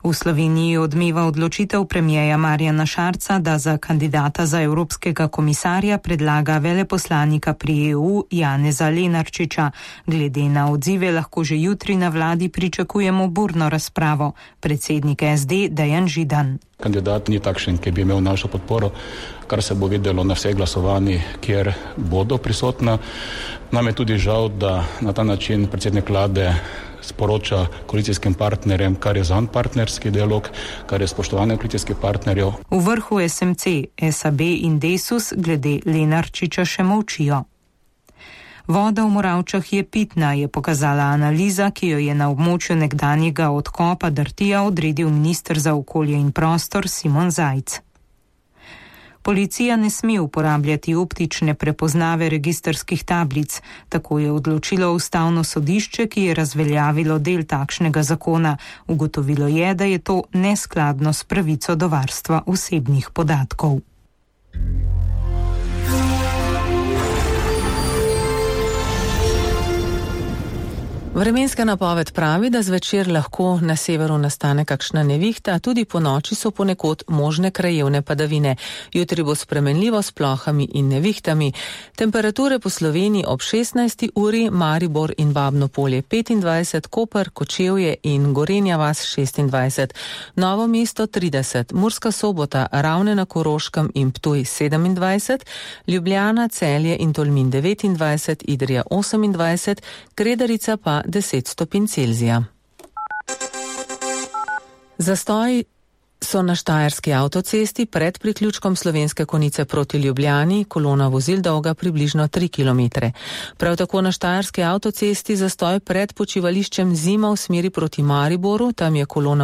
V Sloveniji odmeva odločitev premierja Marjana Šarca, da za kandidata za evropskega komisarja predlaga veleposlanika pri EU Janeza Lenarčiča. Glede na odzive lahko že jutri na vladi pričakujemo burno razpravo. Predsednik SD Dejan Židan. Kandidat ni takšen, ki bi imel našo podporo, kar se bo videlo na vseh glasovanjih, kjer bodo prisotna. Nam je tudi žal, da na ta način predsednik vlade sporoča koalicijskim partnerjem, kar je zanj partnerski dialog, kar je spoštovanje koalicijskih partnerjev. V vrhu SMC, SAB in Desus glede Lenarčiča še molčijo. Voda v Moravčah je pitna, je pokazala analiza, ki jo je na območju nekdanjega odkopa Drtija odredil minister za okolje in prostor Simon Zajc. Policija ne sme uporabljati optične prepoznave registrskih tablic, tako je odločilo Ustavno sodišče, ki je razveljavilo del takšnega zakona. Ugotovilo je, da je to neskladno s pravico do varstva osebnih podatkov. Vremenska napoved pravi, da zvečer lahko na severu nastane kakšna nevihta, tudi po noči so ponekod možne krajevne padavine. Jutri bo spremenljivo s plohami in nevihtami. Temperature po Sloveniji ob 16. uri, Maribor in Babno Polje 25, Koper, Kočevje in Gorenja vas 26, Novo mesto 30, Murska Sobota, Ravne na Koroškem in Ptuj 27, Ljubljana, Celje in Tolmin 29, Idrija 28, Kredarica pa 10 stopinj Celzija. Zastoji so na Štajerski avtocesti pred priključkom Slovenske Konjice proti Ljubljani, kolona vozil dolga približno 3 km. Prav tako na Štajerski avtocesti zastoj pred počivališčem Zima v smeri proti Mariboru, tam je kolona